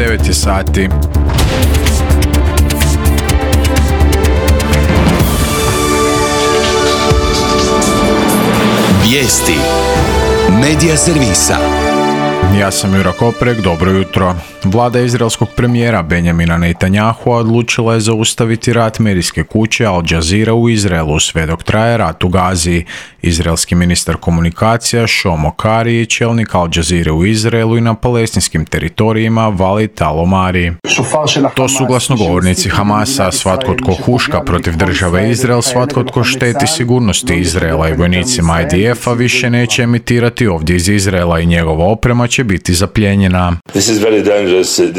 9 je sati. Vijesti Medija servisa. Ja sam Jura Koprek, dobro jutro. Vlada izraelskog premijera Benjamina Netanyahua odlučila je zaustaviti rat medijske kuće Al Jazeera u Izraelu sve dok traje rat u Gazi. Izraelski ministar komunikacija Šlomo Kari i čelnik Al Jazeera u Izraelu i na palestinskim teritorijima Walid Al-Omari. To su glasnogovornici Hamasa, svatko tko huška protiv države Izrael, svatko tko šteti sigurnosti Izraela i vojnicima IDF-a više neće emitirati ovdje iz Izraela i njegova oprema će biti zaplijenjena.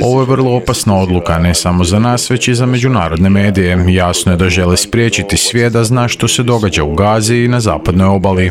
Ovo je vrlo opasna odluka, ne samo za nas, već i za međunarodne medije. Jasno je da žele spriječiti svijet da zna što se događa u Gazi i na zapadnoj obali.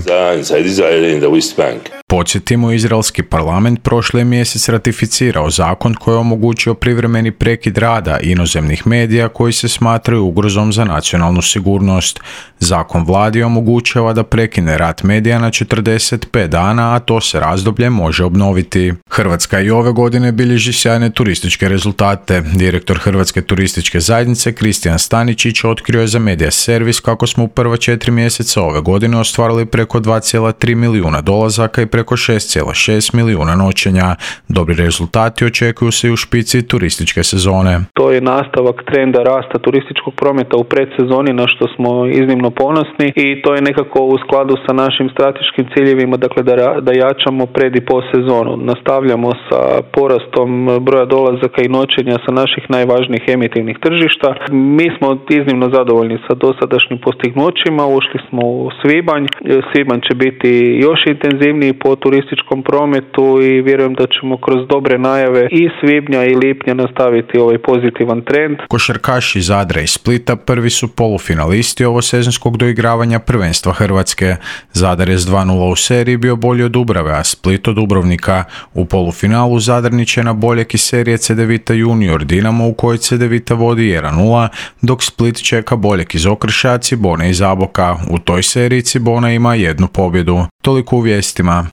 Podsjetimo, izraelski parlament prošli mjesec ratificirao zakon koji je omogućio privremeni prekid rada inozemnih medija koji se smatraju ugrozom za nacionalnu sigurnost. Zakon vladi omogućava da prekine rad medija na 45 dana, a to se razdoblje može obnoviti. Hrvatska i ove godine bilježi sjajne turističke rezultate. Direktor Hrvatske turističke zajednice Kristijan Staničić otkrio je za Medija servis kako smo u prva 4 mjeseca ove godine ostvarili preko 2,3 milijuna dolazaka i preko 6,6 milijuna noćenja. Dobri rezultati očekuju se i u špici turističke sezone. To je nastavak trenda rasta turističkog prometa u predsezoni, na što smo iznimno ponosni, i to je nekako u skladu sa našim strateškim ciljevima, dakle da jačamo pred i po sezonu. Nastavljamo sa porastom broja dolazaka i noćenja sa naših najvažnijih emitivnih tržišta. Mi smo iznimno zadovoljni sa dosadašnjim postignućima, ušli smo u svibanj. Svibanj će biti još intenzivniji po turističkom prometu i vjerujem da ćemo kroz dobre najave i svibnja i lipnja nastaviti ovaj pozitivan trend. Košarkaši Zadra i Splita prvi su polufinalisti ovosezonskog doigravanja prvenstva Hrvatske. Zadar je s 2:0 u seriji bio bolji od Dubrave, a Split od Dubrovnika. U polufinalu Zadarniće na boljeg iz serije Cedevita Junior Dinamo u kojoj Cedevita vodi 1:0, dok Split čeka boljeg iz Okrša Cibone iz Zaboka. U toj seriji Cibona ima 1 pobjedu. Toliko u vijestima.